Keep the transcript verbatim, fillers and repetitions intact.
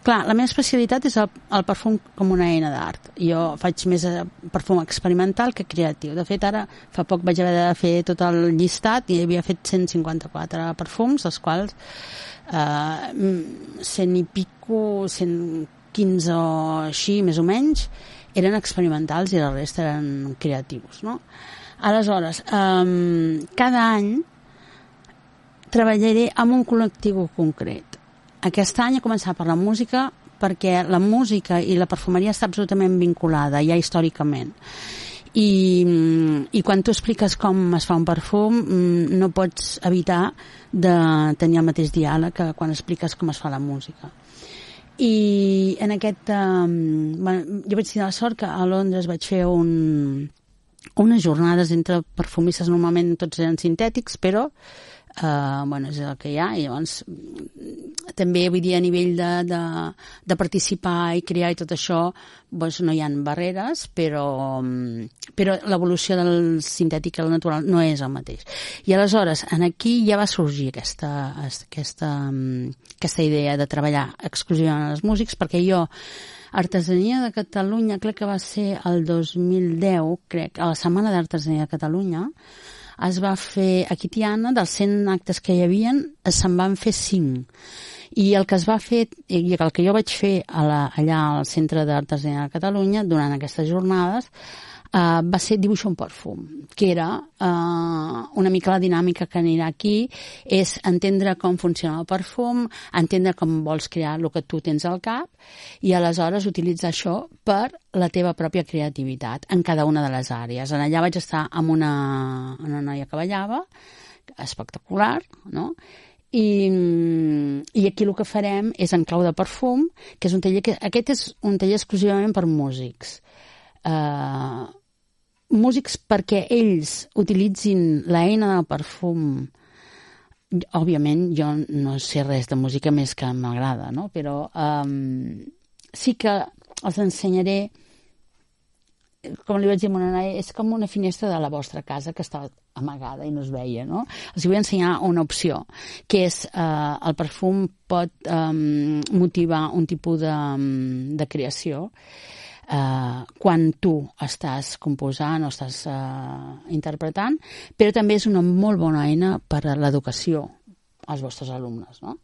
Clar, la meva especialitat és el, el perfum com una eina d'art. Jo faig més perfum experimental que creatiu. De fet, ara fa poc vaig haver de fer tot el llistat i havia fet cent cinquanta-quatre perfums, dels quals eh, cent i pico, cent quinze o així, més o menys, eren experimentals i la resta eren creatius, no? Aleshores, eh, cada any treballaré amb un col·lectiu concret. Aquest any he començat per la música perquè la música i la perfumeria està absolutament vinculada, ja històricament. I, i quan tu expliques com es fa un perfum no pots evitar de tenir el mateix diàleg que quan expliques com es fa la música. I en aquest... Eh, bueno, jo vaig tenir la sort que a Londres vaig fer un, unes jornades entre perfumistes, normalment tots eren sintètics, però Uh, bueno, és el que hi ha, i llavors també vull dir a nivell de, de, de participar i crear i tot això, doncs no hi ha barreres, però, però l'evolució del sintètic al natural no és el mateix. I aleshores, en aquí ja va sorgir aquesta, aquesta, aquesta idea de treballar exclusivament als músics, perquè jo Artesania de Catalunya, crec que va ser el dos mil deu, crec, a la Setmana d'Artesania de Catalunya, es va fer aquí a Tiana, dels cent actes que hi havia, se'n van fer cinc. I el que es va fer, i el que jo vaig fer a la, allà al Centre d'Artesania de Catalunya, durant aquestes jornades, Uh, va ser dibuixar un perfum, que era uh, una mica la dinàmica que anirà aquí, és entendre com funciona el perfum, entendre com vols crear el que tu tens al cap i aleshores utilitzar això per la teva pròpia creativitat en cada una de les àrees. En allà vaig estar amb una, una noia que ballava, espectacular, no? I, i aquí el que farem és en clau de perfum, que és un taller que, aquest és un taller exclusivament per músics. Uh, músics perquè ells utilitzin l'eina del perfum. Òbviament jo no sé res de música més que m'agrada, no? Però um, sí que els ensenyaré, com li vaig dir a una noia, és com una finestra de la vostra casa que estava amagada i no es veia, no? Els vull ensenyar una opció, que és uh, el perfum pot um, motivar un tipus de, de creació Uh, quan tu estàs composant o estàs uh, interpretant, però també és una molt bona eina per a l'educació als vostres alumnes, no?